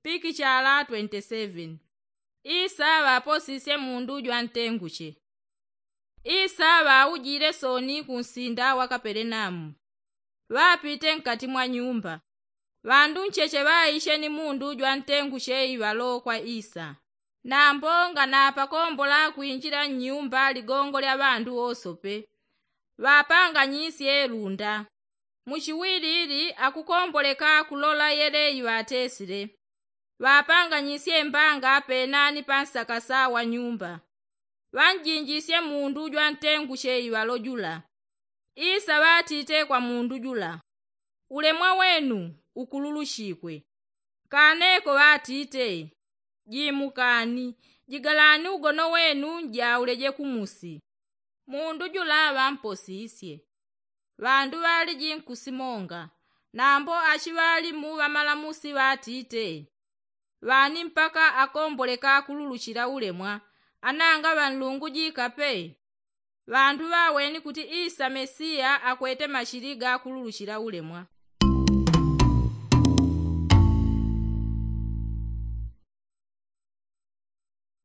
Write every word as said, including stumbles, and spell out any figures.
Pikichala twenty seven. Isa ŵaposisye mundu jwantenguche. Isa ŵaujile soni kunsinda wa kapelenaumu. Ŵapite nkati mwa nyumba. Ŵandu ncheche ŵaiche ni mundu jwantenguche iŵalo kwa isa. Nambo nganapakombola kwinjila nnyumba ligongo lya ŵandu wosope. Ŵapanganyisye lunda. Muchiwilili akukomboleka kulola yele iŵatesile. Ŵapanganyisye mbanga penani pa nsakasa wa nyumba. Ŵanjinjisye mundu jwantenguche iŵalo jula. Isa ŵatite kwa mundu jula, ulemwa wenu ukululuchikwe. Kaneko ŵatite, jimukani, jigalani ugono wenu njauleje kumusi. Mundu jula ŵamposisye. Ŵandu ŵaliji nkusimonga. Nambo achiŵalimu ŵamalamusi ŵatite, ŵani mpaka akomboleka kululuchila ulemwa? Ananga ŵanlungujika pe. Ŵandu ŵaweni kuti isa mesiya akwete machili ga kululuchila ulemwa.